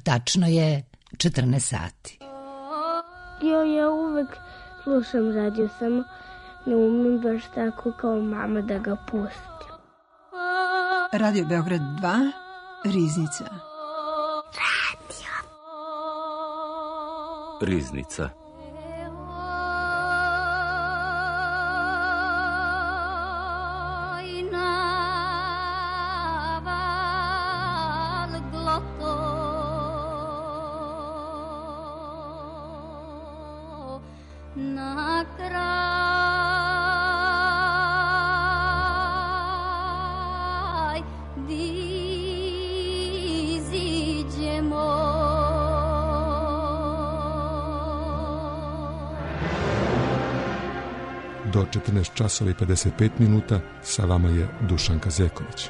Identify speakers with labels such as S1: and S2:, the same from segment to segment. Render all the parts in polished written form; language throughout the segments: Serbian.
S1: Tačno je 14 sati.
S2: Ja uvek slušam radio, samo ne umem baš tako kao mama da ga pustim.
S3: Radio Beograd 2, Riznica.
S4: Riznica.
S5: Do 14 časova i 55 minuta sa vama je Dušanka Zeković.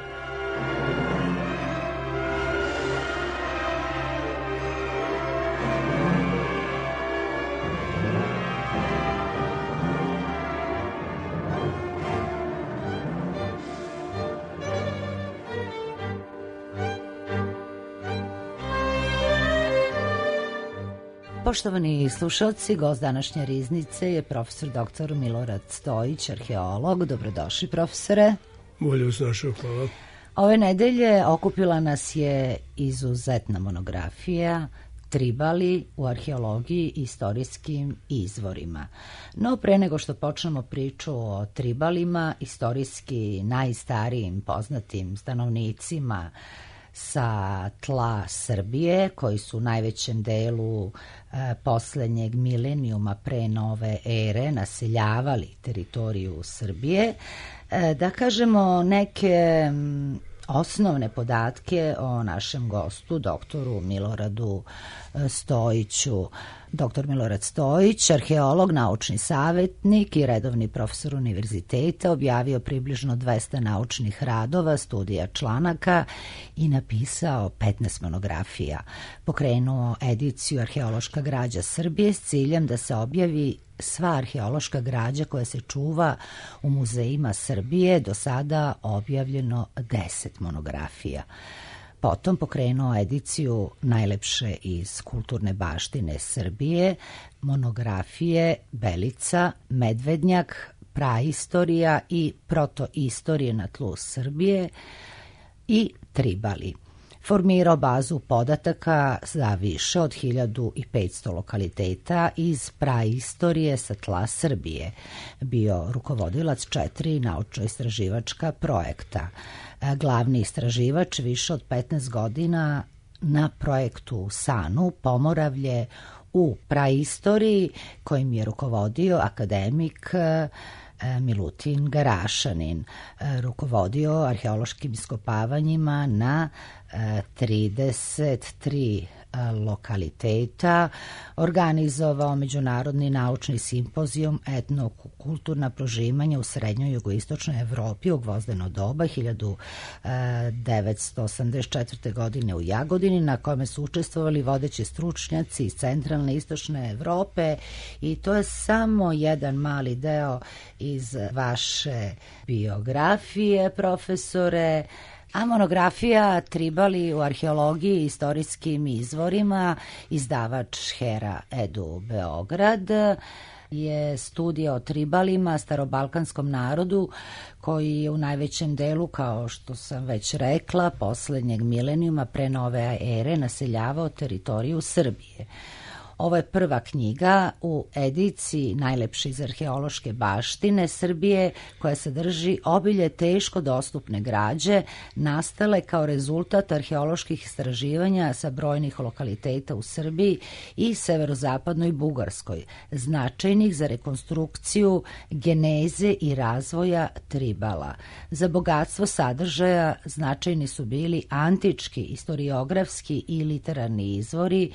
S1: Poštovani slušalci, gost današnje Riznice je profesor dr. Milorad Stojić, arheolog. Dobrodošli, profesore.
S6: Bolje vas našao, hvala.
S1: Ove nedelje okupila nas je izuzetna monografija Tribali u arheologiji i istorijskim izvorima. No, pre nego što počnemo priču o Tribalima, istorijski najstarijim poznatim stanovnicima sa tla Srbije, koji su u najvećem delu poslednjeg milenijuma pre nove ere naseljavali teritoriju Srbije, da kažemo neke osnovne podatke o našem gostu, doktoru Miloradu Stojiću. Dr. Milorad Stojić, arheolog, naučni savetnik i redovni profesor univerziteta, objavio približno 200 naučnih radova, studija članaka i napisao 15 monografija. Pokrenuo ediciju Arheološka građa Srbije s ciljem da se objavi sva arheološka građa koja se čuva u muzejima Srbije, do sada objavljeno 10 monografija. Potom pokrenuo ediciju Najlepše iz kulturne baštine Srbije, monografije Belica, Medvednjak, Praistorija i Protoistorije na tlu Srbije i Tribali. Formirao bazu podataka za više od 1500 lokaliteta iz praistorije sa tla Srbije. Bio rukovodilac 4 naučno-istraživačka projekta. Glavni istraživač više od 15 godina na projektu SANU, Pomoravlje u praistoriji, kojim je rukovodio akademik Milutin Garašanin. Rukovodio arheološkim iskopavanjima na 33 lokaliteta, organizovao međunarodni naučni simpozijum etnokulturna prožimanja u srednjoj jugoistočnoj Evropi u gvozdeno doba 1984. godine u Jagodini, na kome su učestvovali vodeći stručnjaci iz centralne i istočne Evrope, i to je samo jedan mali deo iz vaše biografije, profesore. A monografija Tribali u arheologiji i istorijskim izvorima, izdavač Hera Edu Beograd, je studija o Tribalima, starobalkanskom narodu koji je u najvećem delu, kao što sam već rekla, poslednjeg milenijuma pre nove ere naseljavao teritoriju Srbije. Ovo je prva knjiga u ediciji Najlepše iz arheološke baštine Srbije, koja sadrži obilje teško dostupne građe nastale kao rezultat arheoloških istraživanja sa brojnih lokaliteta u Srbiji i severozapadnoj Bugarskoj, značajnih za rekonstrukciju geneze i razvoja Tribala. Za bogatstvo sadržaja značajni su bili antički, istoriografski i literarni izvori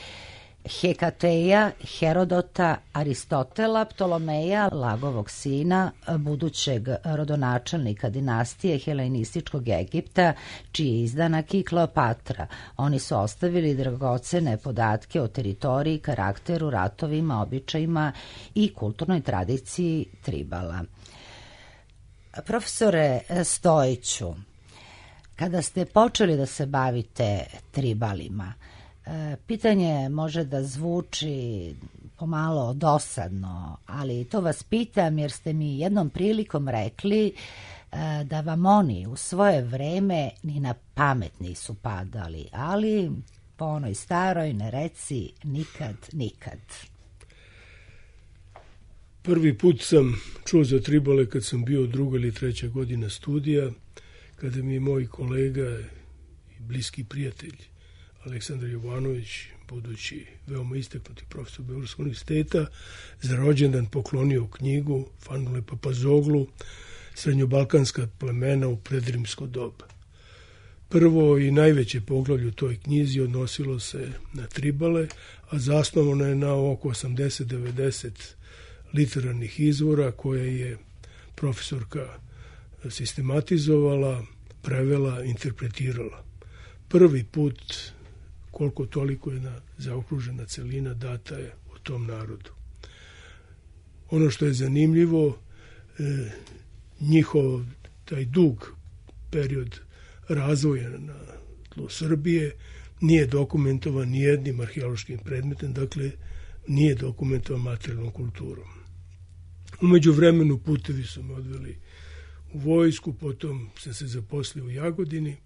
S1: Hekateja, Herodota, Aristotela, Ptolomeja, Lagovog sina, budućeg rodonačelnika dinastije helenističkog Egipta, čiji je izdanak i Kleopatra. Oni su ostavili dragocene podatke o teritoriji, karakteru, ratovima, običajima i kulturnoj tradiciji Tribala. Profesore Stojiću, kada ste počeli da se bavite Tribalima, Pitanje može da zvuči pomalo dosadno, ali to vas pitam jer ste mi jednom prilikom rekli da vam oni u svoje vreme ni na pamet nisu padali, ali po onoj staroj ne reci nikad, nikad.
S6: Prvi put sam čuo za tribale kad sam bio 2. ili 3. godina studija, kada mi je moj kolega i bliski prijatelj Aleksandar Jovanović, budući veoma istaknuti profesor Beogradskog univerziteta, za rođendan poklonio knjigu Fanule Papazoglu, Srednjobalkanska plemena u predrimsko doba. Prvo i najveće poglavlje u toj knjizi odnosilo se na tribale, a zasnovano je na oko 80-90 literarnih izvora koje je profesorka sistematizovala, prevela, interpretirala. Prvi put, koliko toliko jedna zaokružena celina data je o tom narodu. Ono što je zanimljivo, njihov taj dug period razvoja na tlu Srbije nije dokumentovan nijednim arheološkim predmetom, dakle nije dokumentovan materijalnom kulturom. Umeđu vremenu putevi su me odveli u vojsku, potom sam se zaposlio u Jagodini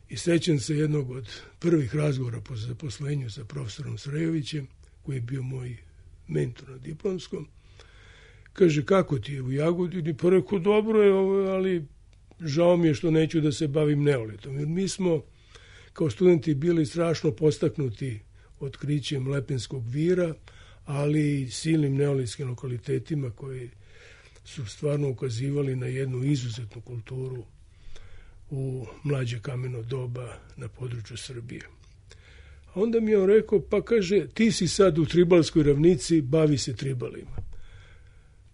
S6: i sećam se jednog od prvih razgovora po zaposlenju sa profesorom Srejovićem, koji je bio moj mentor na diplomskom. Kaže, kako ti je u Jagodini? Pa rekao, dobro je, ali žao mi je što neću da se bavim neolitom. Jer mi smo kao studenti bili strašno postaknuti otkrićem Lepenskog vira, ali i silnim neolitskim lokalitetima koji su stvarno ukazivali na jednu izuzetnu kulturu u mlađe kameno doba na području Srbije. A onda mi je on rekao, pa kaže, ti si sad u Tribalskoj ravnici, bavi se tribalima.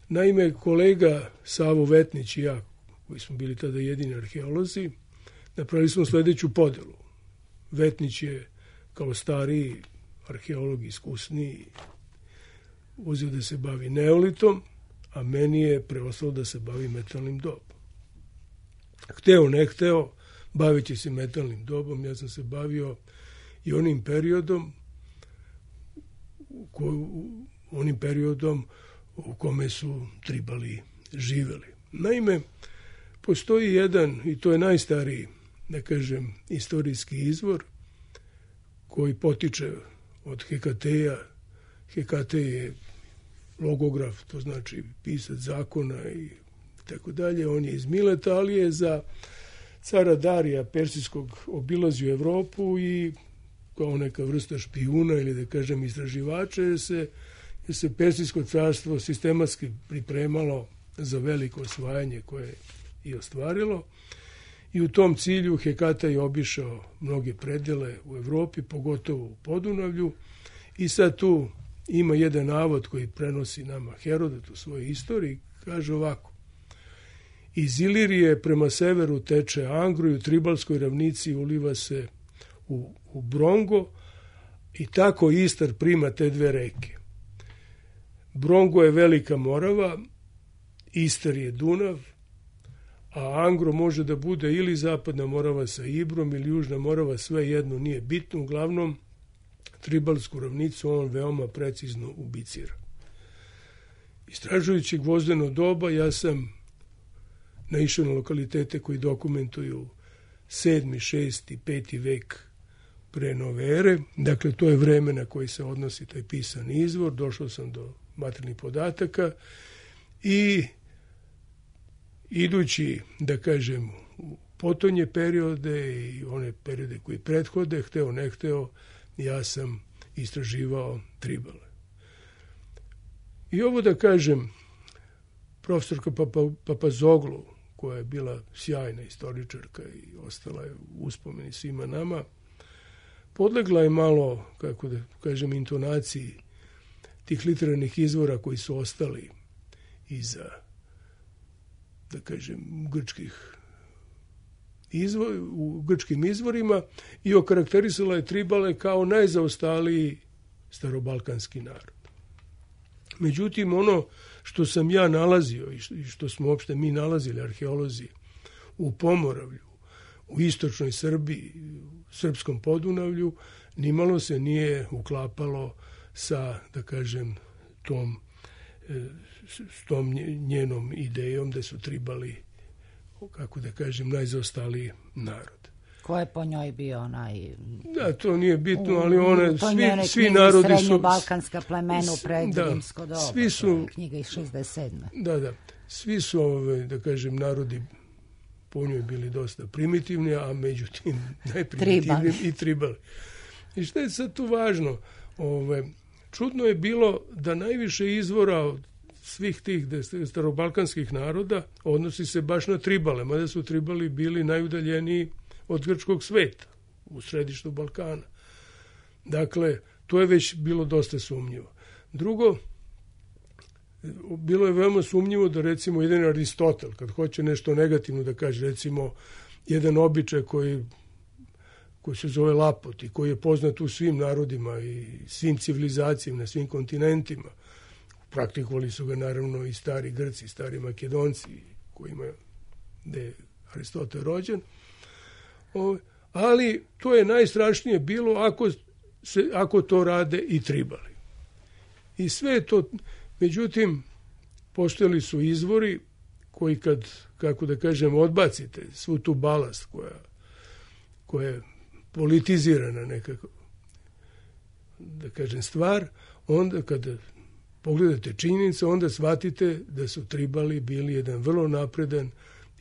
S6: Naime, kolega Savo Vetnić i ja, koji smo bili tada jedini arheolozi, napravili smo sledeću podelu. Vetnić je kao stariji arheolog, iskusniji, uzeo da se bavi neolitom, a meni je preostalo da se bavi metalnim dobom. Hteo, ne hteo, baveći se metalnim dobom, ja sam se bavio i onim periodom u kome su tribali živeli. Naime, postoji jedan, i to je najstariji, da kažem, istorijski izvor, koji potiče od Hekateja. Hekatej je logograf, to znači pisac zakona i tako dalje. On je iz Mileta, ali je za cara Darija Persijskog obilazio Evropu i kao neka vrsta špijuna ili da kažem istraživača jer se Persijsko carstvo sistematski pripremalo za veliko osvajanje koje je i ostvarilo. I u tom cilju Hekatej je obišao mnoge predele u Evropi, pogotovo u Podunavlju. I sad tu ima jedan navod koji prenosi nama Herodot u svojoj istoriji. Kaže ovako. Iz Ilirije prema severu teče Angro i u Tribalskoj ravnici uliva se u Brongo i tako Istar prima te dve reke. Brongo je Velika Morava, Istar je Dunav, a Angro može da bude ili Zapadna Morava sa Ibrom ili Južna Morava, sve jedno nije bitno, uglavnom Tribalsku ravnicu on veoma precizno ubicira. Istražujući gvozdeno doba, ja sam naišao na lokalitete koji dokumentuju 7., 6., 5. vek pre nove ere. Dakle, to je vreme na koji se odnosi taj pisani izvor. Došao sam do materijalnih podataka i idući, da kažem, u potonje periode i one periode koji prethode, hteo, ne hteo, ja sam istraživao tribale. I ovo da kažem, profesorka Papazoglu, koja je bila sjajna istoričarka i ostala je u uspomeni svima nama, podlegla je malo, kako da kažem, intonaciji tih literarnih izvora koji su ostali iza, da kažem, u grčkim izvorima i okarakterisala je tribale kao najzaostaliji starobalkanski narod. Međutim, ono što sam ja nalazio i što smo uopšte mi nalazili arheolozi u Pomoravlju, u istočnoj Srbiji, u srpskom Podunavlju, nimalo se nije uklapalo sa, da kažem, s tom njenom idejom da su tribali, kako da kažem, najzaostaliji narod.
S1: Ko je po njoj bio onaj...
S6: Da, to nije bitno, ali one, svi narodi su...
S1: Srednjobalkanska plemena u predrimsko doba,
S6: svi su,
S1: knjiga iz 67.
S6: Da, svi su, da kažem, narodi po njoj bili dosta primitivni, a međutim najprimitivniji i tribali. I što je sad tu važno? Čudno je bilo da najviše izvora od svih tih starobalkanskih naroda odnosi se baš na tribale, mada su tribali bili najudaljeniji od grčkog sveta u središtu Balkana. Dakle, to je već bilo dosta sumnjivo. Drugo, bilo je veoma sumnjivo da recimo jedan Aristotel, kad hoće nešto negativno da kaže, recimo jedan običaj koji se zove lapot i koji je poznat u svim narodima i svim civilizacijama, na svim kontinentima. Praktikovali su ga naravno i stari Grci, stari Makedonci, gde je Aristotel rođen. Ali to je najstrašnije bilo ako to rade i tribali. I sve to, međutim, postojali su izvori koji kad, kako da kažem, odbacite svu tu balast koja je politizirana nekako, da kažem, stvar, onda kada pogledate činjenice, onda shvatite da su tribali bili jedan vrlo napredan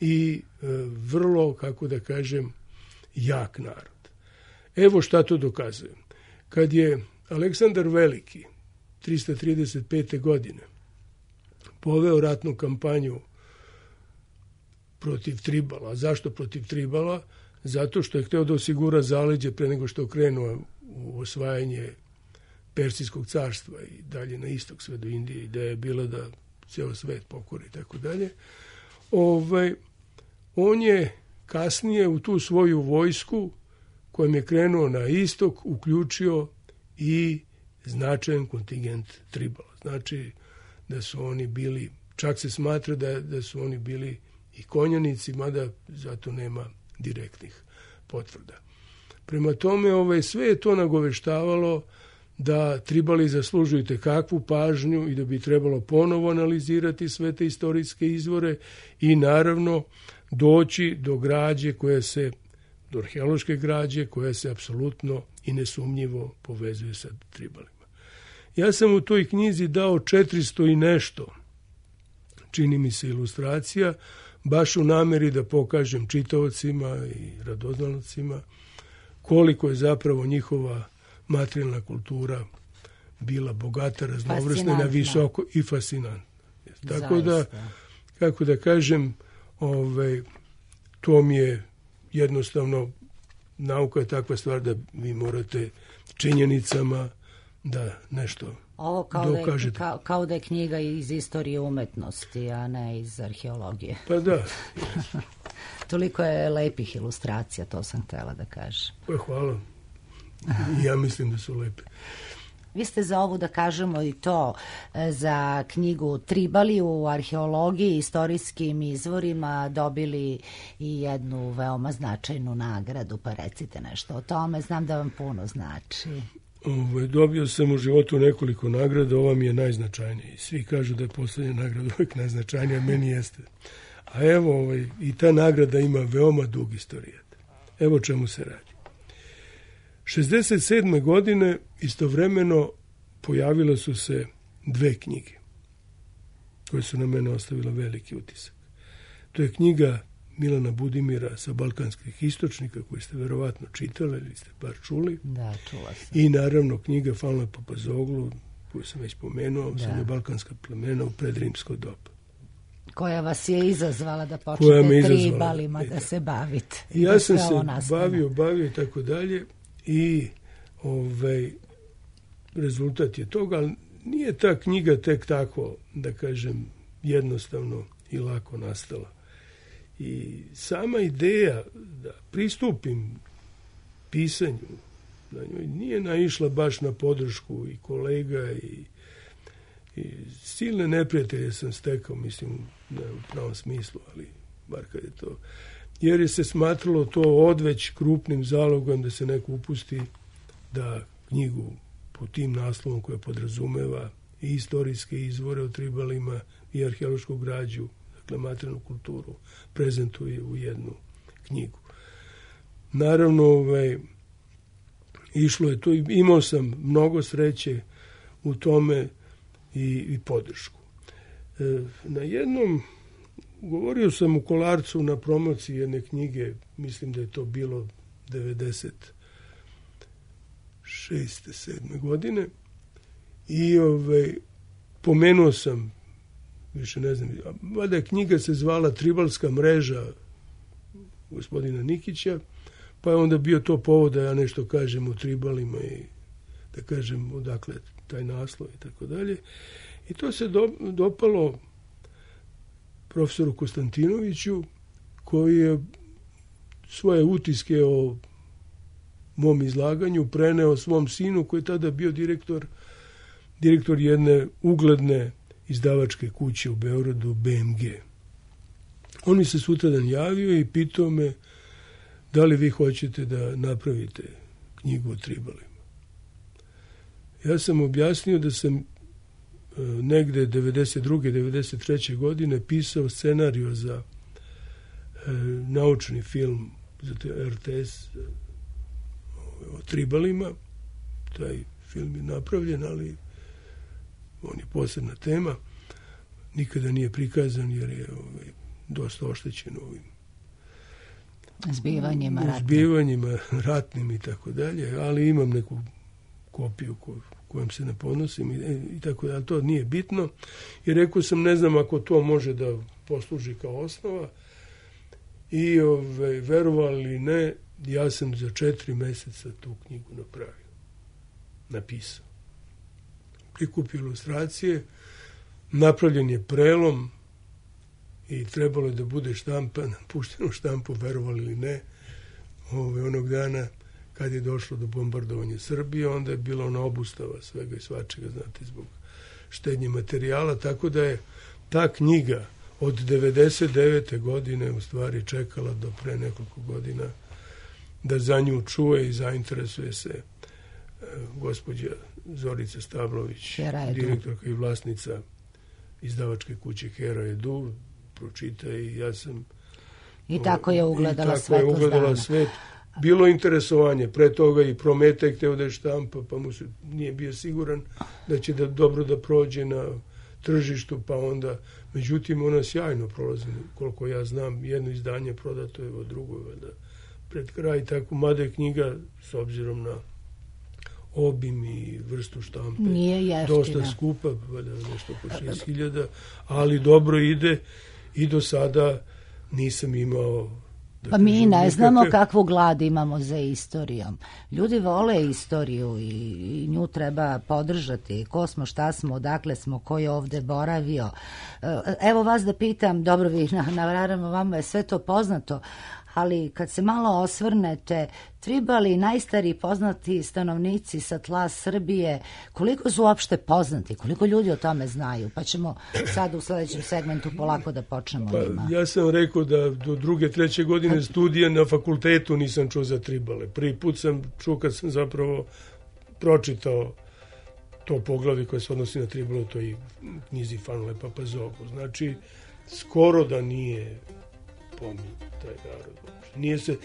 S6: i vrlo, kako da kažem, jak narod. Evo šta to dokazuje. Kad je Aleksandar Veliki 335. godine poveo ratnu kampanju protiv tribala. Zašto protiv tribala? Zato što je hteo da osigura zaleđe pre nego što krenuo u osvajanje Persijskog carstva i dalje na istok sve do Indije. Ideja je bila da ceo svet pokori i tako dalje. On je kasnije u tu svoju vojsku kojom je krenuo na istok uključio i značajan kontingent tribala. Znači da su oni bili, čak se smatra da su oni bili i konjanici, mada zato nema direktnih potvrda. Prema tome, sve je to nagoveštavalo da tribali zaslužuju kakvu pažnju i da bi trebalo ponovo analizirati sve te istorijske izvore i naravno doći do građe do arheološke građe koja se apsolutno i nesumnjivo povezuje sa tribalima. Ja sam u toj knjizi dao 400 i nešto, čini mi se, ilustracija, baš u nameri da pokažem čitaocima i radoznalcima koliko je zapravo njihova materijalna kultura bila bogata, raznovrsna, na visoko i fascinantna. Tako da, kako da kažem, to mi je jednostavno, nauka je takva stvar da vi morate činjenicama da nešto dokažete.
S1: Kao da je knjiga iz istorije umetnosti, a ne iz arheologije.
S6: Pa da.
S1: Toliko je lepih ilustracija, to sam htjela da kažem.
S6: Pa hvala. Ja mislim da su lepe.
S1: Vi ste za ovu, da kažemo i to, za knjigu Tribali u arheologiji i istorijskim izvorima dobili i jednu veoma značajnu nagradu, pa recite nešto o tome, znam da vam puno znači.
S6: Dobio sam u životu nekoliko nagrada, ova mi je najznačajnija. Svi kažu da je poslednja nagrada uvek najznačajnija, meni jeste. A evo, i ta nagrada ima veoma dug istorijat. Evo čemu se radi. 67. godine istovremeno pojavile su se 2 knjige koje su na mene ostavile veliki utisak. To je knjiga Milana Budimira sa balkanskih istočnika, koju ste verovatno čitali ili ste bar čuli.
S1: Da, čula sam.
S6: I naravno knjiga Falna Papazoglu, koju sam već pomenuo, sa balkanska plemena u predrimsko doba.
S1: Koja vas je izazvala da počnete tribalima da se bavite.
S6: Ja sam se bavio i tako dalje i rezultat je toga, ali nije ta knjiga tek tako, da kažem, jednostavno i lako nastala. I sama ideja da pristupim pisanju na njoj nije naišla baš na podršku i kolega i silne neprijatelje sam stekao, mislim, ne u pravom smislu, ali bar kad je to. jer je se smatralo to odveć krupnim zalogom da se neko upusti da knjigu po tim naslovom koja podrazumeva i istorijske izvore o tribalima i arheološku građu, dakle materijalnu kulturu, prezentuje u jednu knjigu. Naravno, išlo je to i imao sam mnogo sreće u tome i podršku. Na jednom, govorio sam u Kolarcu na promociji jedne knjige, mislim da je to bilo 96. 7. godine, i pomenuo sam, više ne znam, valjda knjiga se zvala Tribalska mreža gospodina Nikića, pa je onda bio to povod da ja nešto kažem o tribalima i da kažem odakle taj naslov i tako dalje. I to se dopalo profesoru Konstantinoviću, koji je svoje utiske o mom izlaganju preneo svom sinu, koji je tada bio direktor jedne ugledne izdavačke kuće u Beogradu, BMG. On mi se sutradan javio i pitao me da li vi hoćete da napravite knjigu o tribalima. Ja sam objasnio da sam negde 92. 93. godine pisao scenariju za naučni film za RTS o tribalima. Taj film je napravljen, ali on je posebna tema. Nikada nije prikazan jer je dosta oštećen ovim zbivanjima ratnim i tako dalje, ali imam neku kopiju kojom se ne ponosim i tako da, ali to nije bitno. I rekao sam, ne znam ako to može da posluži kao osnova, i verovali ili ne, ja sam za 4 meseca tu knjigu napisao. Prikupio ilustracije, napravljen je prelom i trebalo je da bude štampan, pušteno u štampu, verovali ili ne, onog dana kad je došlo do bombardovanja Srbije, onda je bila ona obustava svega i svačega, znate, zbog štednje materijala, tako da je ta knjiga od 99. godine u stvari čekala do pre nekoliko godina da za nju čuje i zainteresuje se gospođa Zorica Stablović, direktorka i vlasnica izdavačke kuće Hera Edu, pročita i ja sam...
S1: I tako je ugledala
S6: svet. Bilo interesovanje, pre toga i Prometej hteo da je štampa, pa mu se nije bio siguran da će dobro da prođe na tržištu, pa onda, međutim, ona sjajno prolazi, koliko ja znam, jedno izdanje prodato je, drugo je pred kraj, tako, mada je knjiga, s obzirom na obim i vrstu štampe, dosta skupa, nešto po 6.000, ali dobro ide i do sada nisam imao...
S1: Pa mi ne znamo kakvu glad imamo za istorijom. Ljudi vole istoriju i nju treba podržati. Ko smo, šta smo, odakle smo, ko je ovde boravio. Evo vas da pitam, dobro, vi naravno vama je sve to poznato, ali kad se malo osvrnete, tribali, najstariji poznati stanovnici sa tla Srbije, koliko su uopšte poznati, koliko ljudi o tome znaju? Pa ćemo sad u sledećem segmentu polako da počnemo.
S6: Ja sam rekao da do 2. 3. godine studija na fakultetu nisam čuo za tribale. Prvi put sam čuo kad sam zapravo pročitao to poglavlje koje se odnosi na tribale, to i knjizi Fanule Papazogu. Znači, skoro da nije pominjen taj narod. Nije se,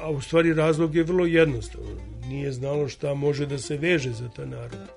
S6: a u stvari razlog je vrlo jednostavan. Nije znalo šta može da se veže za ta narod.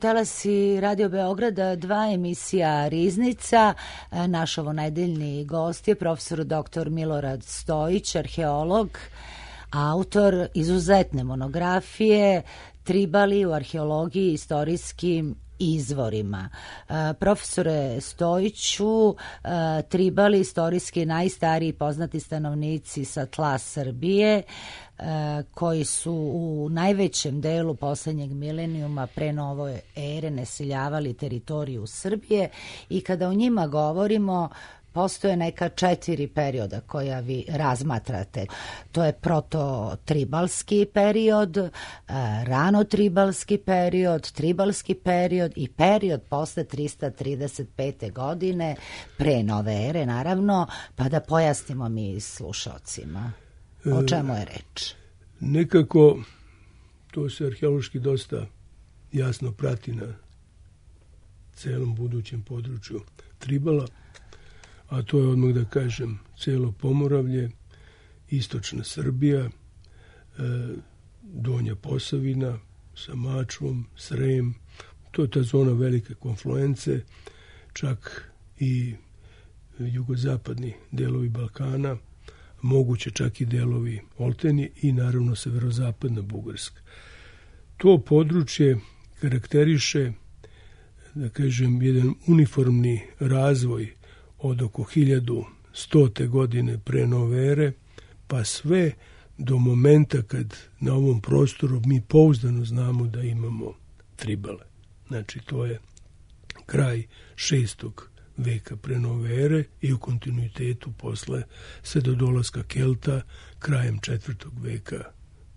S1: Talasi Radio Beograda, 2 emisija Riznica. Naš ovonedeljni gost je profesor dr. Milorad Stojić, arheolog, autor izuzetne monografije Tribali u arheologiji i istorijskim izvorima. Profesore Stojiću, Tribali, istorijski najstariji poznati stanovnici sa tla Srbije, koji su u najvećem delu poslednjeg milenijuma pre nove ere naseljavali teritoriju Srbije, i kada o njima govorimo, postoje neka 4 perioda koja vi razmatrate. To je proto-tribalski period, rano-tribalski period, tribalski period i period posle 335. godine, pre nove ere, naravno, pa da pojasnimo mi slušalcima o čemu je reč.
S6: Nekako to se arheološki dosta jasno prati na celom budućem području Tribala, a to je odmah da kažem celo Pomoravlje, istočna Srbija, Donja Posavina sa Mačvom, Srem, to je ta zona velike konfluence, čak i jugozapadni delovi Balkana, moguće čak i delovi Oltenije i naravno severozapadna Bugarska. To područje karakteriše, da kažem, jedan uniformni razvoj od oko 1100. godine pre nove ere, pa sve do momenta kad na ovom prostoru mi pouzdano znamo da imamo Tribale. Znači, to je kraj 6. veka pre nove ere i u kontinuitetu posle sve do dolaska Kelta krajem 4. veka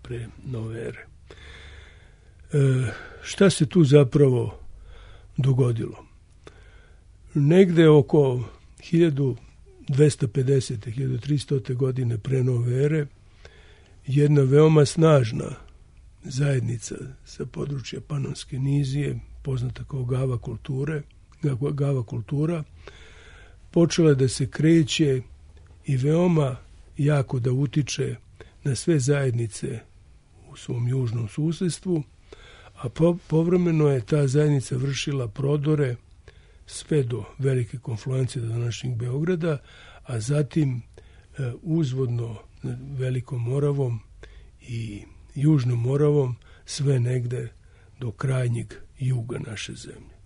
S6: pre nove ere. Šta se tu zapravo dogodilo? Negde oko 1250. 1300. godine pre nove ere jedna veoma snažna zajednica sa područja Panonske nizije, poznata kao Gava kultura, počela da se kreće i veoma jako da utiče na sve zajednice u svom južnom susedstvu, a povremeno je ta zajednica vršila prodore sve do velike konfluencije do današnjeg Beograda, a zatim uzvodno Velikom Moravom i Južnom Moravom sve negde do krajnjeg juga naše zemlje.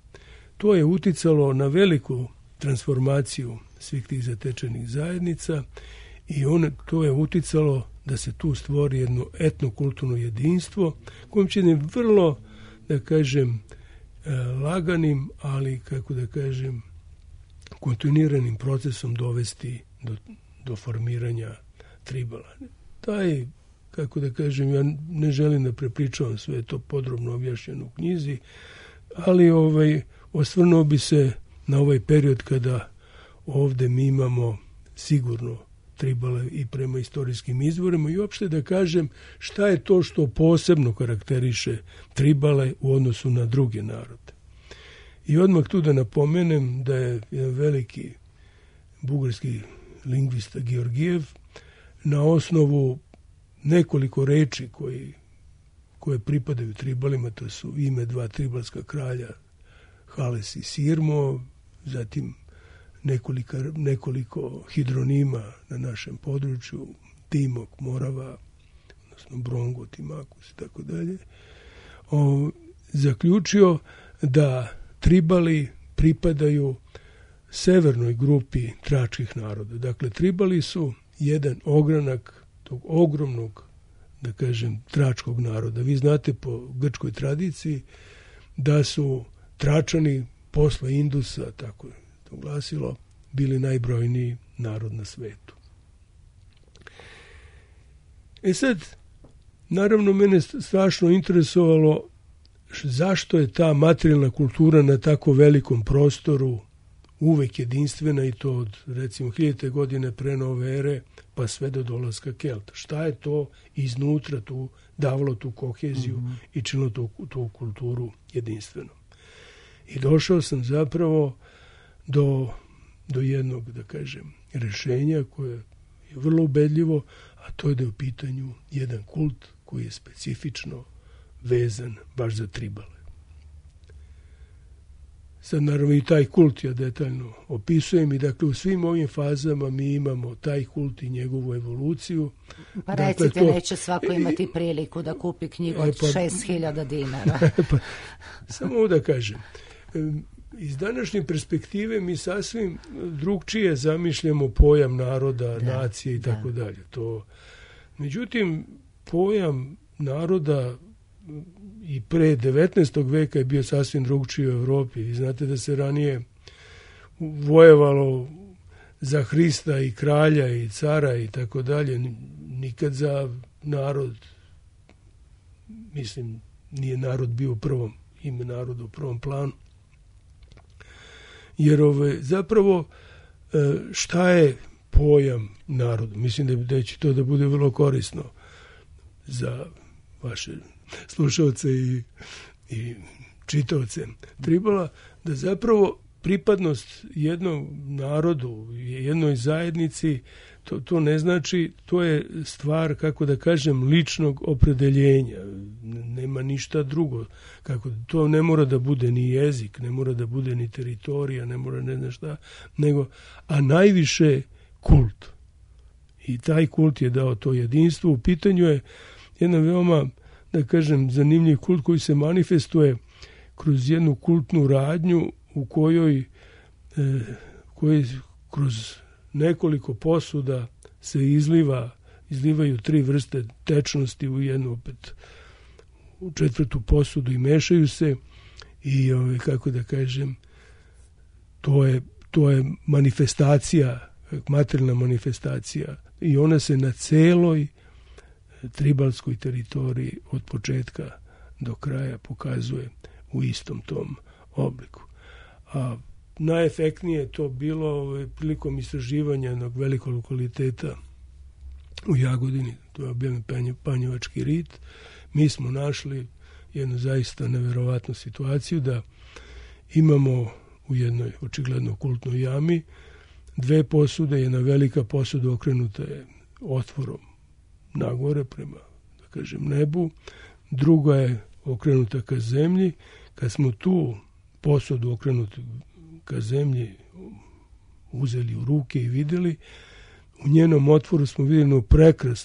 S6: To je uticalo na veliku transformaciju svih tih zatečenih zajednica i to je uticalo da se tu stvori jedno etnokulturno jedinstvo kojim će ne vrlo, da kažem, laganim, ali, kako da kažem, kontinuiranim procesom dovesti do formiranja Tribala. Taj, kako da kažem, ja ne želim da prepričavam sve to podrobno objašnjeno u knjizi, ali osvrnuo bi se na ovaj period kada ovde mi imamo sigurno Tribale i prema istorijskim izvorima i uopšte da kažem šta je to što posebno karakteriše Tribale u odnosu na druge narode. I odmah tu da napomenem da je jedan veliki bugarski lingvista Georgijev na osnovu nekoliko reči koje pripadaju Tribalima, to su ime 2 tribalska kralja, Hales i Sirmo, zatim nekoliko hidronima na našem području, Timok, Morava, odnosno Brongo, Timakus i tako dalje, zaključio da Tribali pripadaju severnoj grupi tračkih naroda. Dakle, Tribali su jedan ogranak tog ogromnog, da kažem, tračkog naroda. Vi znate po grčkoj tradiciji da su Tračani posle Indusa, tako je to glasilo, bili najbrojniji narod na svetu. Sad, naravno, mene strašno interesovalo zašto je ta materijalna kultura na tako velikom prostoru uvek jedinstvena i to od, recimo, 1000. godine pre nove ere pa sve do dolaska Kelta. Šta je to iznutra tu davalo tu koheziju i činilo tu kulturu jedinstvenom? I došao sam zapravo do jednog, da kažem, rešenja koje je vrlo ubedljivo, a to je da je u pitanju jedan kult koji je specifično vezan baš za Tribale. sad naravno i taj kult ja detaljno opisujem i dakle u svim ovim fazama mi imamo taj kult i njegovu evoluciju.
S1: Pa recite, dakle, neće svako imati priliku da kupi knjigu od 6.000 dinara.
S6: Samo da kažem, iz današnje perspektive mi sasvim drugčije zamišljamo pojam naroda, nacije i tako dalje. Međutim, pojam naroda i pre 19. veka je bio sasvim drugčiji u Evropi. Vi znate da se ranije vojevalo za Hrista i kralja i cara i tako dalje. Nikad za narod, mislim, nije narod bio ime naroda u prvom planu. Jer zapravo šta je pojam naroda? Mislim da će to da bude vrlo korisno za vaše slušalce i čitaoce. Trebala da zapravo pripadnost jednom narodu, jednoj zajednici, to ne znači, to je stvar, kako da kažem, ličnog opredeljenja. Nema ništa drugo. To ne mora da bude ni jezik, ne mora da bude ni teritorija, ne mora ne znam šta, a najviše kult. I taj kult je dao to jedinstvo. U pitanju je jedna veoma, da kažem, zanimljiv kult koji se manifestuje kroz jednu kultnu radnju u kojoj kroz nekoliko posuda se izlivaju 3 vrste tečnosti u jednu, opet u 4. posudu i mešaju se i kako da kažem, to je manifestacija, materijalna manifestacija i ona se na celoj tribalskoj teritoriji od početka do kraja pokazuje u istom tom obliku. A najefektnije je to bilo prilikom istraživanja jednog velikog lokaliteta u Jagodini, to je objavljen Panjevački rit. Mi smo našli jednu zaista neverovatnu situaciju da imamo u jednoj očigledno kultnoj jami 2 posude, jedna velika posuda okrenuta je otvorom nagore prema, da kažem, nebu, druga je okrenuta ka zemlji. Kad smo tu posudu okrenutu ka zemlji uzeli u ruke i vidjeli, u njenom otvoru smo vidjeli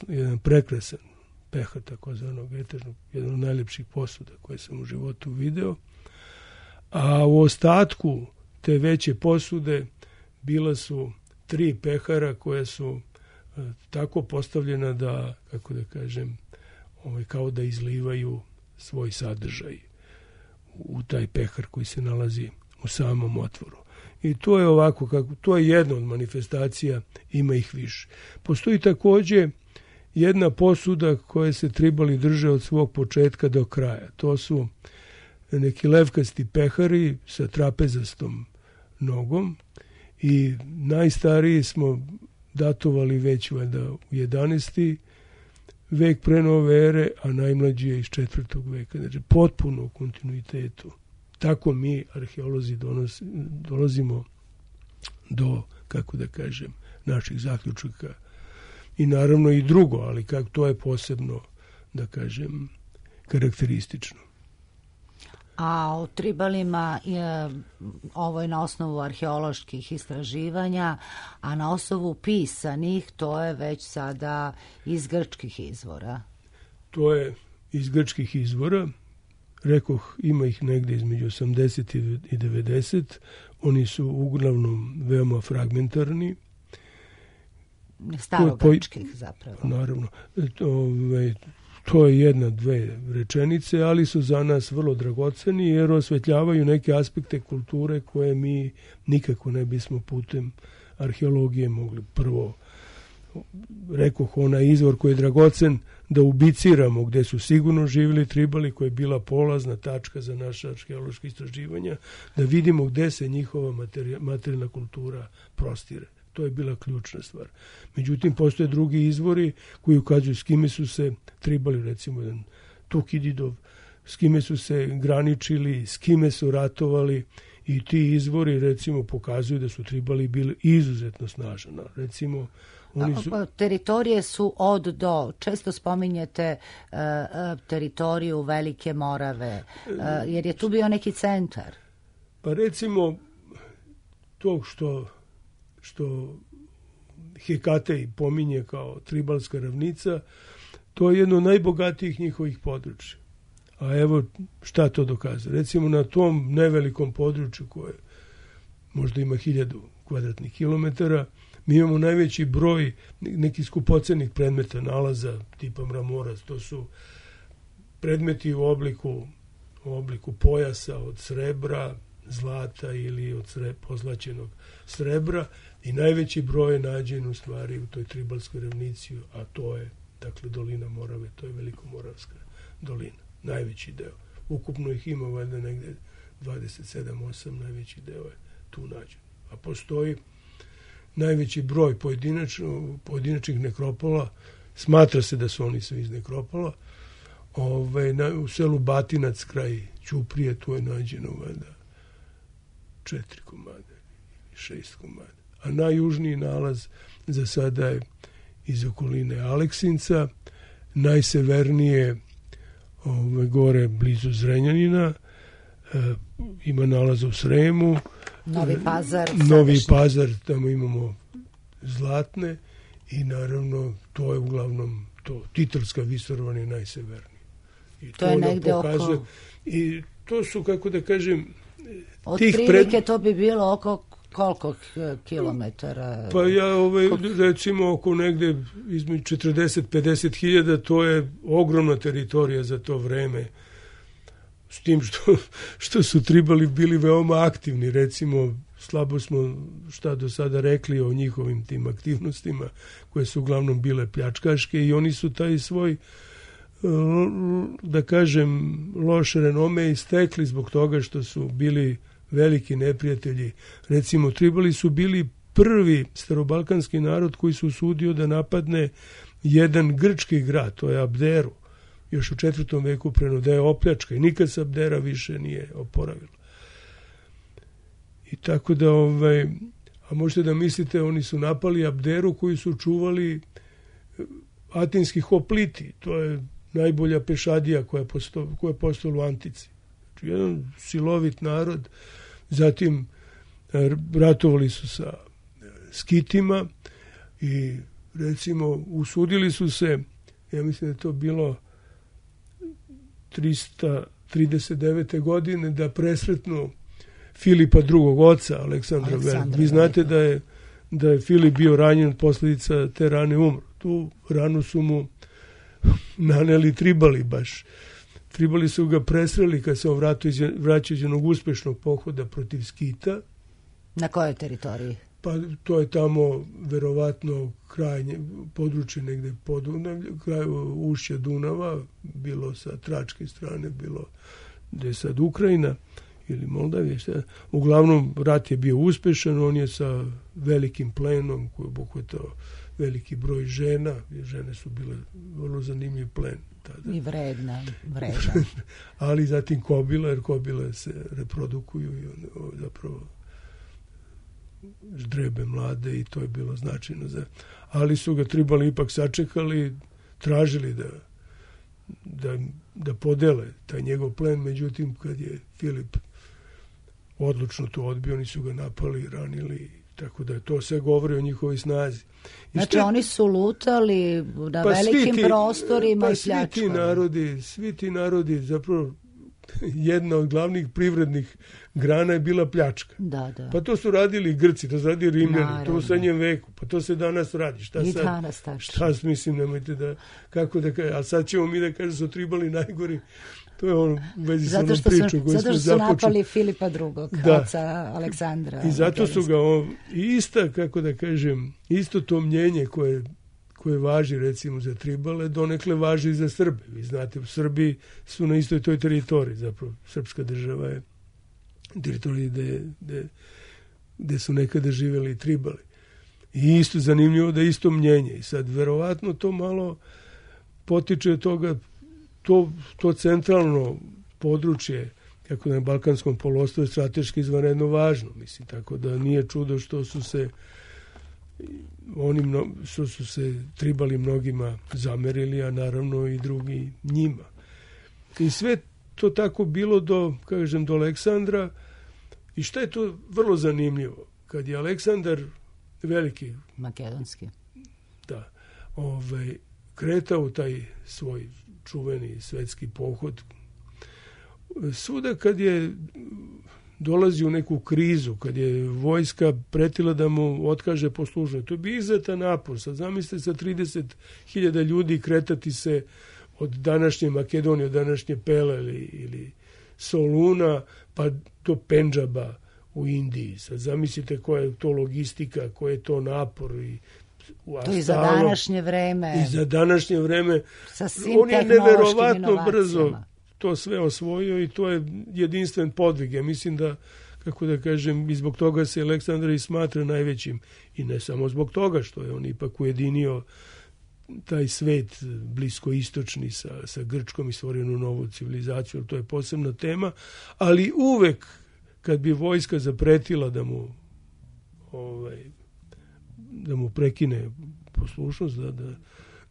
S6: jedan prekrasan pehar, takozvanog etažnog, jedan od najlepših posuda koje sam u životu video. A u ostatku te veće posude bila su 3 pehara koja su tako postavljena da, kako da kažem, kao da izlivaju svoj sadržaj u taj pehar koji se nalazi u samom otvoru. I to je ovako, to je jedna od manifestacija, ima ih više. Postoji također jedna posuda koja se tribali drže od svog početka do kraja. To su neki levkasti pehari sa trapezastom nogom i najstariji smo datovali već valjda u 11. vek pre nove ere, a najmlađi je iz 4. veka. Znači, potpuno u kontinuitetu. Tako mi, arheolozi, dolazimo do, kako da kažem, naših zaključaka. I naravno i drugo, ali to je posebno, da kažem, karakteristično.
S1: A o tribalima ovo je na osnovu arheoloških istraživanja, a na osnovu pisanih to je već sada iz grčkih izvora.
S6: To je iz grčkih izvora. Rekoh, ima ih negde između 80 i 90. Oni su uglavnom veoma fragmentarni.
S1: Starogrčkih zapravo.
S6: Naravno. To je 1-2 rečenice, ali su za nas vrlo dragoceni jer osvetljavaju neke aspekte kulture koje mi nikako ne bismo putem arheologije mogli. Prvo, rekoh, onaj izvor koji je dragocen da ubiciramo gde su sigurno živjeli tribali, koja je bila polazna tačka za naše arheološke istraživanja, da vidimo gde se njihova materijalna kultura prostire. To je bila ključna stvar. Međutim, postoje drugi izvori koji ukazuju s kime su se tribali, recimo jedan Tukididov, s kime su se graničili, s kime su ratovali i ti izvori, recimo, pokazuju da su tribali bili izuzetno snažni. Recimo,
S1: teritorije su od do. Često spominjete teritoriju Velike Morave, jer je tu bio neki centar.
S6: Pa recimo to što Hekatej pominje kao tribalska ravnica, to je jedno od najbogatijih njihovih područja. A evo šta to dokazuje. Recimo na tom nevelikom području koje možda ima 1000 kvadratnih kilometara, mi imamo najveći broj nekih skupocenih predmeta, nalaza tipa mramorac. To su predmeti u obliku pojasa od srebra, zlata ili od pozlaćenog srebra i najveći broj je nađen u stvari u toj tribalskoj ravnici, a to je dakle dolina Morave, to je Velikomoravska dolina, najveći deo. Ukupno ih ima valjda negde 27-8, najveći deo je tu nađen. A postoji najveći broj pojedinačnih nekropola, smatra se da su oni svi iz nekropola, u selu Batinac kraj Ćuprije, tu je nađeno valjda 4 komada ili 6 komada. A najjužniji nalaz za sada je iz okoline Aleksinca, najsevernije gore blizu Zrenjanina, ima nalaza u Sremu, Novi Pazar, tamo imamo zlatne i naravno to je uglavnom to, Titulska visoravan je najseverniji. I
S1: to je negde
S6: pokazuje, oko... I to su, kako da kažem,
S1: otprilike to bi bilo oko koliko kilometara?
S6: Pa ja recimo oko negde između 40-50 hiljada, to je ogromna teritorija za to vreme. S tim što su tribali bili veoma aktivni, recimo slabo smo šta do sada rekli o njihovim tim aktivnostima koje su uglavnom bile pljačkaške i oni su taj svoj, da kažem, loš renome istekli zbog toga što su bili veliki neprijatelji. Recimo, tribali su bili prvi starobalkanski narod koji su usudio da napadne jedan grčki grad, to je Abderu, još u 4. veku da je opljačka i nikad se Abdera više nije oporavila. I tako da, a možete da mislite, oni su napali Abderu koji su čuvali atinski hopliti, to je najbolja pešadija koja je postala u Antici. Znači, jedan silovit narod. Zatim ratovali su sa Skitima i recimo usudili su se, ja mislim da je to bilo 339. godine, da presretnu Filipa drugog oca, Aleksandra Velikog. Vi znate da je Filip bio ranjen od posljedica te rane, umro. Tu ranu su mu naneli tribali baš. Tribali su ga presreli kad se on vraćao iz jednog uspešnog pohoda protiv Skita.
S1: Na kojoj teritoriji?
S6: Pa to je tamo verovatno krajnje područje negde kraj ušća Dunava, bilo sa tračke strane, bilo gde je sad Ukrajina ili Moldavija. Uglavnom rat je bio uspešan, on je sa velikim plenom koji je obuhvatao veliki broj žena, jer žene su bile vrlo zanimljiv plen. Tada.
S1: I vredna.
S6: Ali zatim kobila, jer kobile se reprodukuju i zapravo ždrebe mlade i to je bilo značajno. Ali su ga tribali ipak sačekali, tražili da podele taj njegov plen, međutim kad je Filip odlučno to odbio, oni su ga napali, ranili, tako da to sve govori o njihovoj snazi.
S1: Znači oni su lutali na velikim prostorima i pljačkali.
S6: Svi ti narodi, zapravo jedna od glavnih privrednih grana je bila pljačka.
S1: Da.
S6: Pa to su radili Grci, to su radili Rimljani, to u srednjem veku, pa to se danas radi. Šta mislim, nemojte da, kako da kažem, a sad ćemo mi da kažem su tribali najgori. To je on u vezi sa onom priču koju smo započeli.
S1: Zato što su napali Filipa II, oca Aleksandra.
S6: I zato su ga kako da kažem, isto to mnjenje koje važi recimo za tribale, donekle važi i za Srbe. Vi znate, u Srbiji su na istoj toj teritoriji, zapravo srpska država je teritorija gde su nekada živjeli tribali. I isto zanimljivo da je isto mnjenje. I sad verovatno to malo potiče od toga, to centralno područje, kako na Balkanskom poluostrvu, je strateški izvanredno važno. Mislim, tako da nije čudo što su se tribali mnogima zamerili, a naravno i drugi njima. I sve to tako bilo do Aleksandra I šta je to vrlo zanimljivo? Kad je Aleksandar Veliki,
S1: makedonski,
S6: da, kretao u taj svoj čuveni svetski pohod, svuda kad je dolazi u neku krizu, kad je vojska pretila da mu otkaže poslušnost, to bi izuzetan napor. Sad zamislite sa 30.000 ljudi kretati se od današnje Makedonije, od današnje Pele ili Soluna, pa do Pendžaba u Indiji. Sad zamislite koja je to logistika, koja je to napor.
S1: To i za današnje vreme.
S6: I za današnje vreme.
S1: Sa svim
S6: on je neverovatno brzo to sve osvojio i to je jedinstven podvig. Ja mislim da, kako da kažem, i zbog toga se Aleksandar i smatra najvećim. I ne samo zbog toga što je on ipak ujedinio taj svet bliskoistočni sa Grčkom i stvorio novu civilizaciju, to je posebna tema, ali uvek kad bi vojska zapretila da mu prekine poslušnost,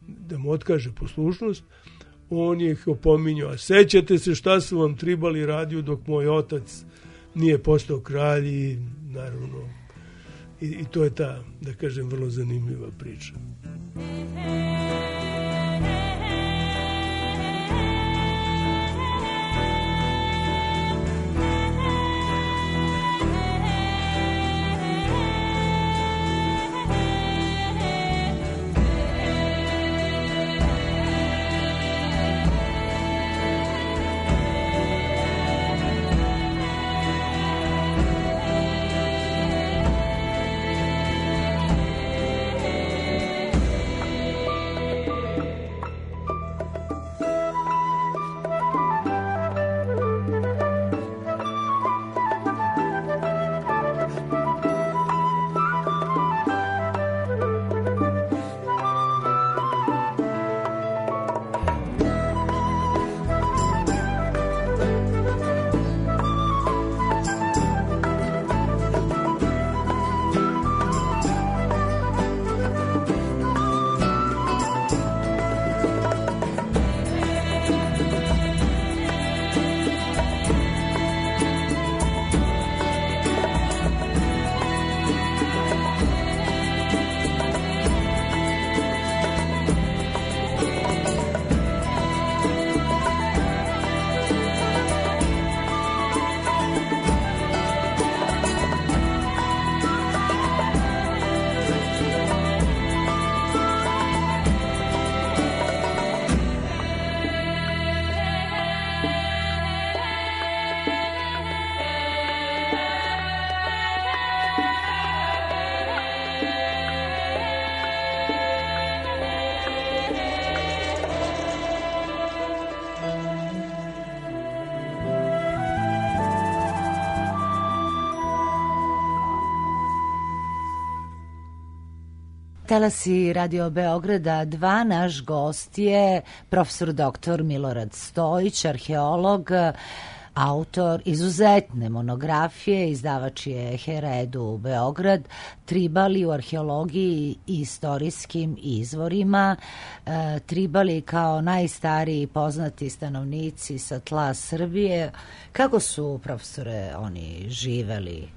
S6: da mu otkaže poslušnost, on je ih opominjao, a sećate se šta su vam tribali radio dok moj otac nije postao kralj i naravno i to je ta, da kažem, vrlo zanimljiva priča.
S1: Talasi Radio Beograda 2, naš gost je profesor dr. Milorad Stojić, arheolog, autor izuzetne monografije, izdavač je Heredu Beograd, Tribali u arheologiji i istorijskim izvorima, Tribali kao najstariji poznati stanovnici sa tla Srbije. Kako su, profesore, oni živeli?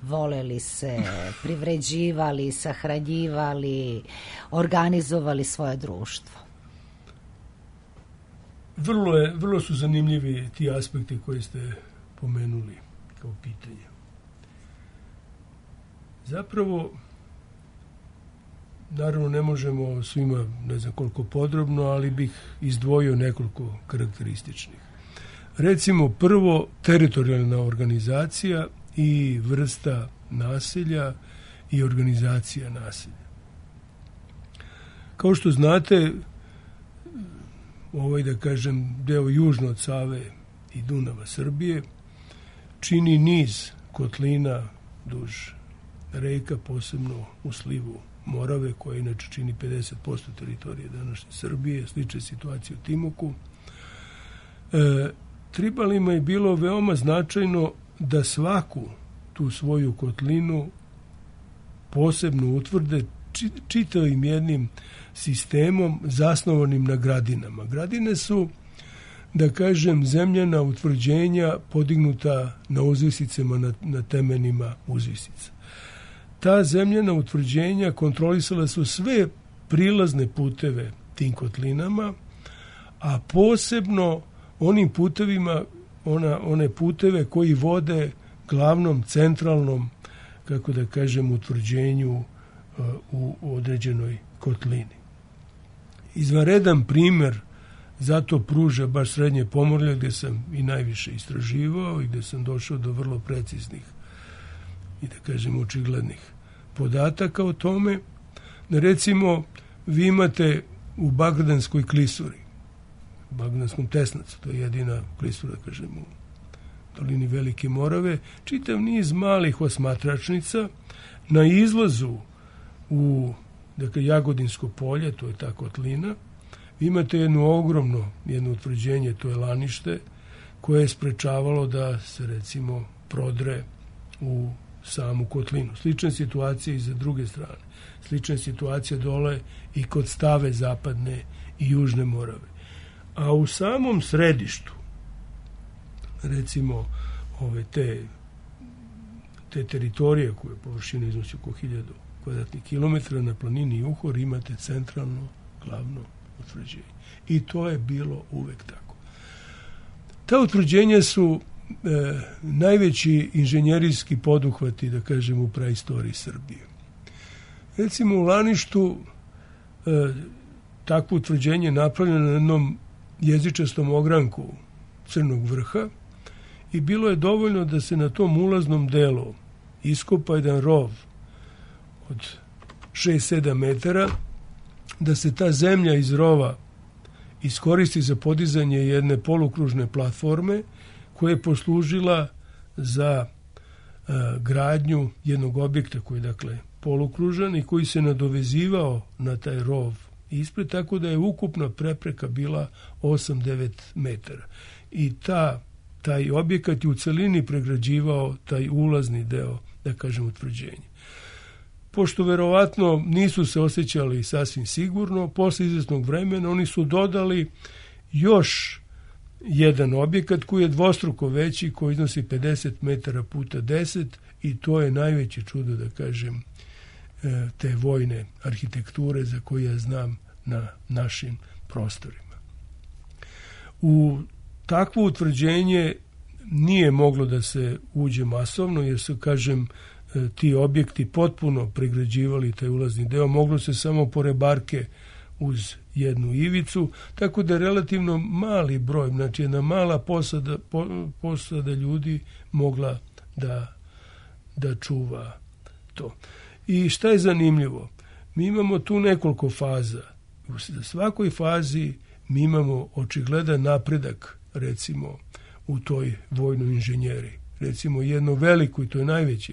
S1: Voleli se, privređivali, sahranjivali, organizovali svoje društvo?
S6: Vrlo su zanimljivi ti aspekti koje ste pomenuli kao pitanje. Zapravo, naravno ne možemo svima, ne znam koliko podrobno, ali bih izdvojio nekoliko karakterističnih. Recimo, prvo, teritorijalna organizacija i vrsta naselja i organizacija naselja. Kao što znate, da kažem, deo južno od Save i Dunava Srbije čini niz kotlina duž reka, posebno u slivu Morave, koja inače čini 50% teritorije današnje Srbije, slična situacija u Timoku. Tribalima je bilo veoma značajno da svaku tu svoju kotlinu posebno utvrde čitavim jednim sistemom zasnovanim na gradinama. Gradine su da kažem, zemljana utvrđenja podignuta na uzvisicama, na temenima uzvisica. Ta zemljana utvrđenja kontrolisala su sve prilazne puteve tim kotlinama, a posebno onim putevima, one puteve koji vode glavnom centralnom, kako da kažem, utvrđenju u određenoj kotlini. Izvanredan primer zato pruža baš Srednje Pomorje, gdje sam i najviše istraživao i gdje sam došao do vrlo preciznih i da kažem očiglednih podataka o tome. Recimo, vi imate u Bagdanskoj klisuri, u Bagdanskom tesnacu, to je jedina klisura, kažem, u dolini Velike Morave, čitav niz malih osmatračnica. Na izlazu u, dakle, Jagodinsko polje, to je ta kotlina, vi imate jedno utvrđenje, to je lanište, koje je sprečavalo da se, recimo, prodre u samu kotlinu. Slična situacija i za druge strane. Slična situacija dole i kod Stave zapadne i južne Morave. A u samom središtu, recimo, te teritorije koje površine iznosi oko 1000 kvadratnih kilometara na planini Juhor, imate centralno glavno utvrđenje. I to je bilo uvek tako. Ta utvrđenja su najveći inženjerijski poduhvati, da kažem, u praistoriji Srbije. Recimo, u Laništu takvo utvrđenje je napravljeno na jednom jezičastom ogranku Crnog vrha i bilo je dovoljno da se na tom ulaznom delu iskopa jedan rov od 6-7 metara, da se ta zemlja iz rova iskoristi za podizanje jedne polukružne platforme koja je poslužila za gradnju jednog objekta koji je, dakle, polukružan i koji se nadovezivao na taj rov ispred, tako da je ukupna prepreka bila 8-9 metara. I taj objekat je u celini pregrađivao taj ulazni deo, da kažem, utvrđenja. Pošto verovatno nisu se osjećali sasvim sigurno, posle izvesnog vremena oni su dodali još jedan objekat koji je dvostruko veći, koji iznosi 50 metara puta 10 i to je najveće čudo, da kažem, te vojne arhitekture za koje ja znam na našim prostorima. U takvo utvrđenje nije moglo da se uđe masovno, jer su, kažem, ti objekti potpuno pregrađivali taj ulazni deo, moglo se samo po rebarke uz jednu ivicu, tako da je relativno mali broj, znači jedna mala posada ljudi mogla da čuva to. I šta je zanimljivo? Mi imamo tu nekoliko faza. U svakoj fazi mi imamo očigledan napredak, recimo, u toj vojnoj inženjeriji. Recimo, jedno veliko, i to je najveće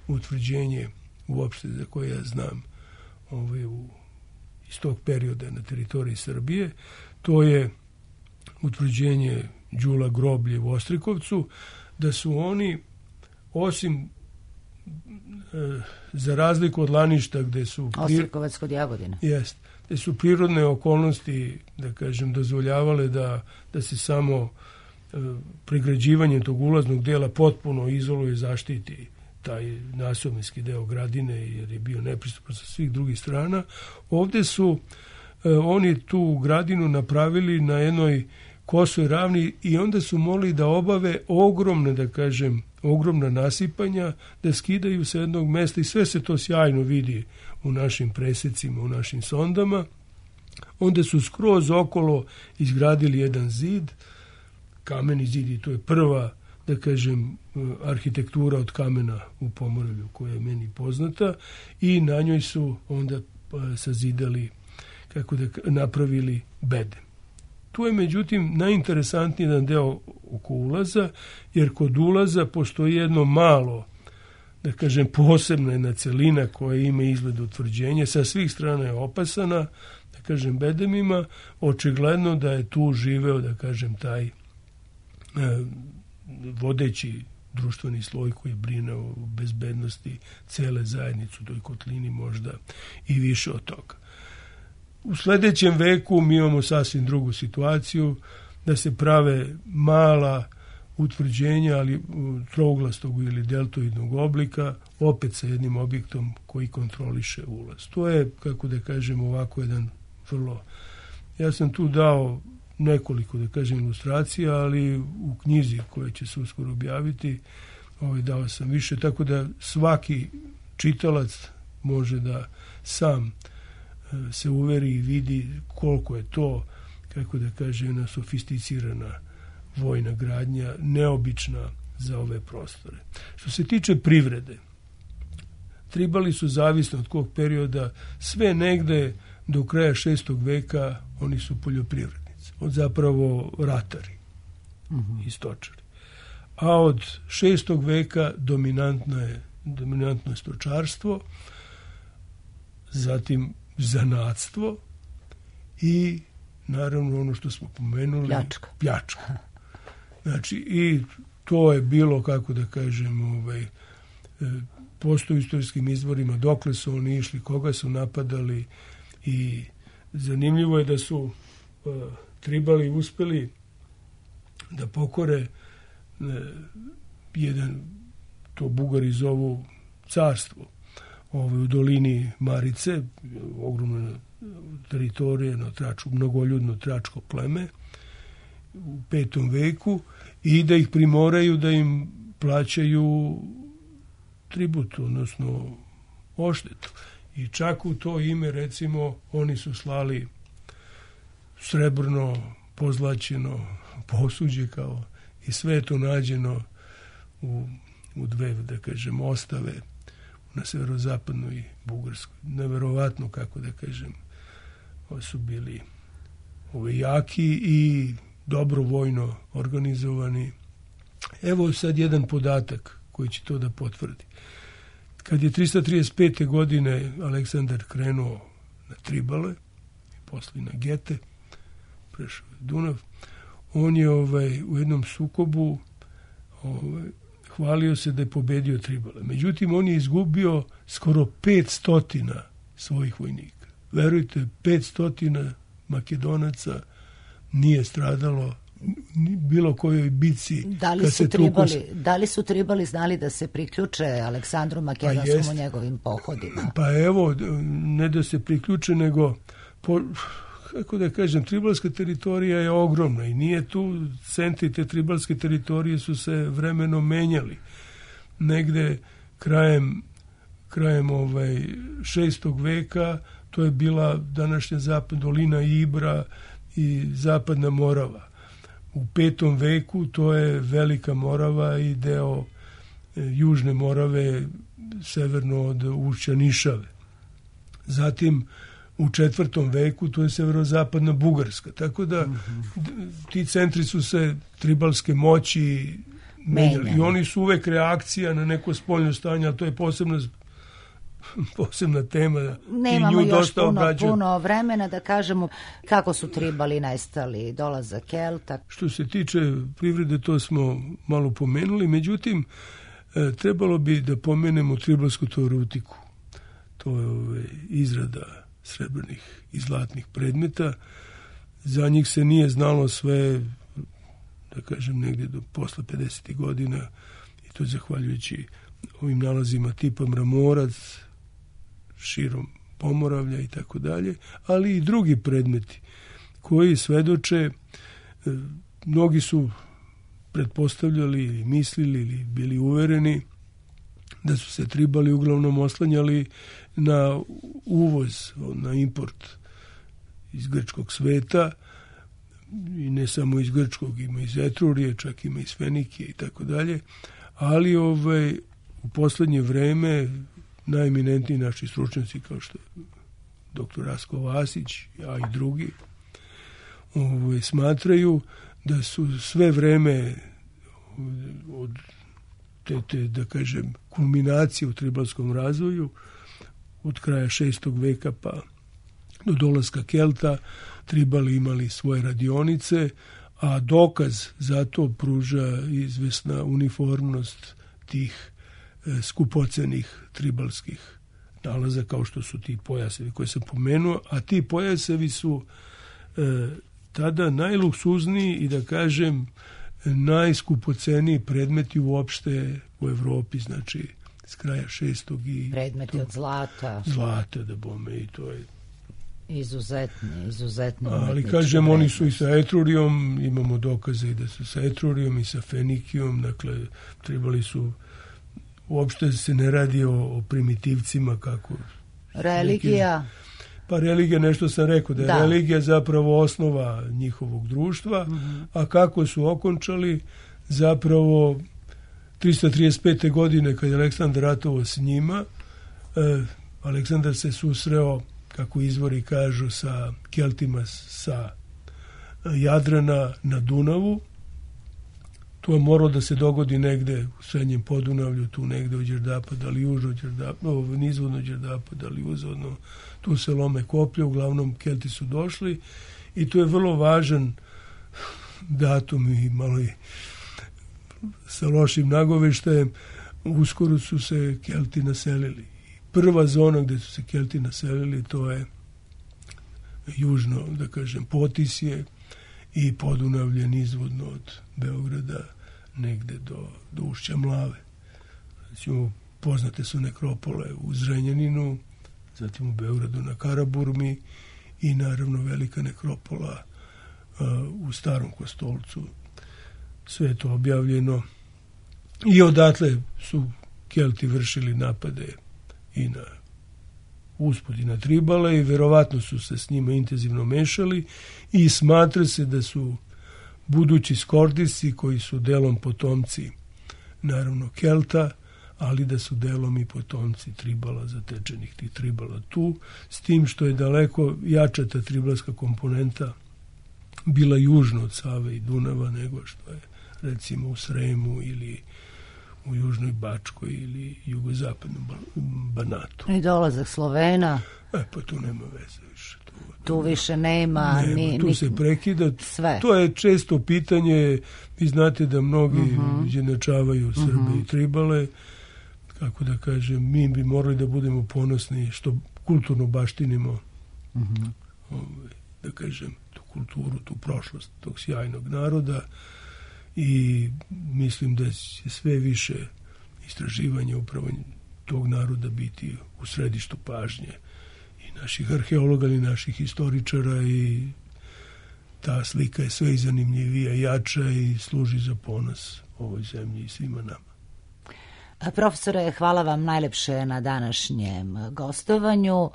S6: utvrđenje uopšte za koje ja znam iz tog perioda na teritoriji Srbije, to je utvrđenje Đula groblje u Ostrikovcu, da su oni, osim za razliku od Laništa, gde su...
S1: Ostrikovac kod Jagodina.
S6: Jest, gde su prirodne okolnosti, da kažem, dozvoljavale da se samo pregrađivanjem tog ulaznog dela potpuno izoluje i zaštiti taj nasovinski deo gradine, jer je bio nepristupan sa svih drugih strana. Ovde su oni tu gradinu napravili na jednoj kosoj ravni i onda su mogli da obave ogromne, da kažem, ogromna nasipanja, da skidaju sa jednog mesta i sve se to sjajno vidi u našim presecima, u našim sondama. Onda su skroz okolo izgradili jedan zid, kameni zid, i to je prva, da kažem, arhitektura od kamena u Pomoravlju koja je meni poznata, i na njoj su onda sazidali, kako da napravili bede. Tu je, međutim, najinteresantniji jedan deo oko ulaza, jer kod ulaza postoji jedno malo, da kažem, posebna jedna celina koja ima izgled utvrđenja, sa svih strana je opasana, da kažem, bedemima, očigledno da je tu živeo, da kažem, taj vodeći društveni sloj koji brine o bezbednosti cele zajednice u toj kotlini, možda i više od toga. U sledećem veku mi imamo sasvim drugu situaciju, da se prave mala utvrđenja, ali trouglastog ili deltoidnog oblika, opet sa jednim objektom koji kontroliše ulaz. To je, kako da kažem, ovako jedan vrlo... Ja sam tu dao nekoliko, da kažem, ilustracija, ali u knjizi koja će se uskoro objaviti, dao sam više, tako da svaki čitalac može da sam se uveri i vidi koliko je to, kako da kažem, jedna sofisticirana vojna gradnja, neobična za ove prostore. Što se tiče privrede, tribali su zavisno od kog perioda, sve negde do kraja 6. veka oni su poljoprivrednici, od zapravo ratari i stočari. A od 6. veka dominantno je stočarstvo, zatim zanatstvo i naravno ono što smo pomenuli, pljačka. Znači, i to je bilo, kako da kažem, postoji u istorijskim izvorima dokle su oni išli, koga su napadali, i zanimljivo je da su tribali uspeli da pokore jedan, to Bugari zovu carstvo, u dolini Marice, ogromna teritorija, mnogoljudno tračko pleme u 5. veku, i da ih primoraju da im plaćaju tribut, odnosno odštetu. I čak u to ime, recimo, oni su slali srebrno, pozlaćeno posuđe, kao, i sve je to nađeno u dve, da kažem, ostave na severozapadnoj Bugarskoj. Neverovatno, kako da kažem, su bili jaki i dobro vojno organizovani. Evo sad jedan podatak koji će to da potvrdi. Kad je 335. godine Aleksandar krenuo na Tribale, posle na Gete, prešao Dunav, on je u jednom sukobu hvalio se da je pobedio Tribale. Međutim, on je izgubio skoro 500 svojih vojnika. Verujte, 500 Makedonaca nije stradalo bilo kojoj bici.
S1: Da li su Tribali znali da se priključe Aleksandru Makedonskom u njegovim pohodima?
S6: Pa evo, ne da se priključe, nego kako da kažem, tribalska teritorija je ogromna i nije tu, centri te tribalske teritorije su se vremenom menjali. Negde krajem 6. veka to je bila današnja dolina Ibra i zapadna Morava. U 5. veku to je Velika Morava i deo Južne Morave severno od ušća Nišave. Zatim u 4. veku to je severozapadna Bugarska. Tako da ti centri su se tribalske moći menjali. I oni su uvek reakcija na neko spoljno stanje, ali to je posebna tema.
S1: Nemamo još puno vremena da kažemo kako su Tribali nestali, dolazak Kelta.
S6: Što se tiče privrede, to smo malo pomenuli, međutim, trebalo bi da pomenemo tribalsku teoretiku. To je izrada srebrnih i zlatnih predmeta. Za njih se nije znalo sve, da kažem, negdje do posle 50. godina, i to zahvaljujući ovim nalazima tipa Mramorac, širom Pomoravlja i tako dalje, ali i drugi predmeti koji svedoče, mnogi su pretpostavljali ili mislili ili bili uvereni da su se Tribali uglavnom oslanjali na uvoz, na import iz grčkog sveta, i ne samo iz grčkog, ima iz Etrurije, čak ima iz Fenikije i tako dalje, ali u poslednje vreme najeminentniji naši stručnjaci, kao što je dr. Rasko Vasić, a i drugi, smatraju da su sve vreme od te, da kažem, kulminacije u tribalskom razvoju, od kraja 6. veka pa do dolaska Kelta, Tribali imali svoje radionice, a dokaz za to pruža izvesna uniformnost tih skupocenih tribalskih nalaza, kao što su ti pojasevi koje sam pomenuo, a ti pojasevi su tada najluksuzniji i da kažem najskupoceniji predmeti uopšte u Evropi, znači s kraja 6. i...
S1: Predmeti od zlata.
S6: Zlata, da bome, i to je...
S1: Izuzetno.
S6: Ali kažem, oni su i sa etrurijom, imamo dokaze i da su sa etrurijom i sa fenikijom, dakle, trebali su, uopšte se ne radi o primitivcima kako...
S1: Religija...
S6: Pa religija, nešto sam rekao, da je religija zapravo osnova njihovog društva, a kako su okončali, zapravo 335. godine kad je Aleksandar ratovao s njima, Aleksandar se susreo, kako izvori kažu, sa Keltima sa Jadrana na Dunavu. To je moralo da se dogodi negde u srednjem Podunavlju, tu negde u Đerdapa, da li južno Đerdapa, nizvodno Đerdapa, da li uzvodno, tu se lome koplje, uglavnom Kelti su došli i to je vrlo važan datum i malo i sa lošim nagoveštajem. Uskoro su se Kelti naselili. Prva zona gde su se Kelti naselili, to je južno, da kažem, Potisje i Podunavlje nizvodno od Beograda negde do ušća Mlave. Znači, poznate su nekropole u Zrenjaninu, zatim u Beogradu na Karaburmi i naravno velika nekropola u Starom Kostolcu. Sve je to objavljeno i odatle su Kelti vršili napade i na uspod i na Tribale i verovatno su se s njima intenzivno mešali i smatra se da su budući Skordisci, koji su delom potomci naravno Kelta, ali da su delom i potomci Tribala, zatečenih tih Tribala tu, s tim što je daleko jača ta tribalska komponenta bila južno od Save i Dunava nego što je recimo u Sremu ili u Južnoj Bačkoj ili jugozapadnom Banatu.
S1: I dolazak Slovena.
S6: Pa tu nema veze više.
S1: Tu više nema.
S6: Tu se prekida.
S1: Sve.
S6: To je često pitanje. Vi znate da mnogi izjednačavaju Srbe i Tribale. Kako da kažem, mi bi morali da budemo ponosni što kulturno baštinimo da kažem, tu kulturu, tu prošlost tog sjajnog naroda. I mislim da će sve više istraživanja upravo tog naroda biti u središtu pažnje i naših arheologa i naših historičara i ta slika je sve zanimljivija, jača i služi za ponos ovoj zemlji i svima nama.
S1: Profesore, hvala vam najlepše na današnjem gostovanju.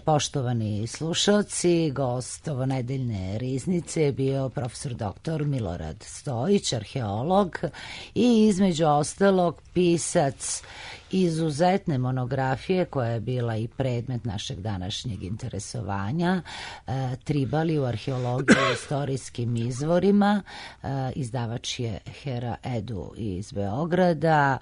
S1: Poštovani slušalci, gost ovonedeljne riznice je bio profesor dr. Milorad Stojić, arheolog i između ostalog pisac izuzetne monografije koja je bila i predmet našeg današnjeg interesovanja, Tribali u arheologiji i istorijskim izvorima. Izdavač je Hera Edu iz Beograda.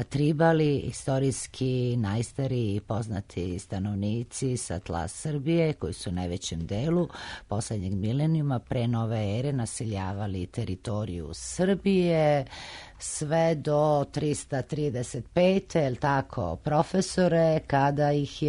S1: Tribali, istorijski najstariji i poznati stanovnici sa tla Srbije, koji su u najvećem delu poslednjeg milenijuma pre nove ere naseljavali teritoriju Srbije sve do 335. je li tako, profesore, kada ih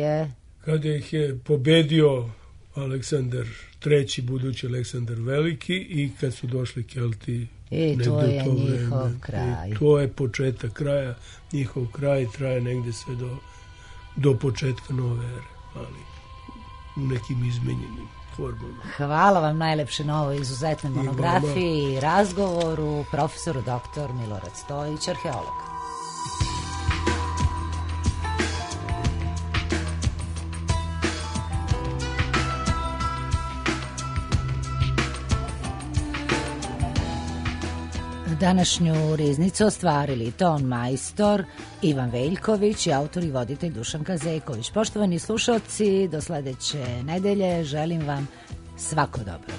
S1: je pobedio
S6: Aleksandar III, budući Aleksandar Veliki, i kad su došli Kelti.
S1: I to je njihov kraj.
S6: I to je početak kraja. Njihov kraj traje negde sve do početka nove ere, ali u nekim izmenjenim formama.
S1: Hvala vam najlepše na ovoj izuzetnoj monografiji i razgovoru, profesoru dr. Milorad Stojić, arheolog. Današnju riznicu ostvarili ton majstor Ivan Veljković i autor i voditelj Dušanka Zejković. Poštovani slušalci, do sledeće nedelje želim vam svako dobro.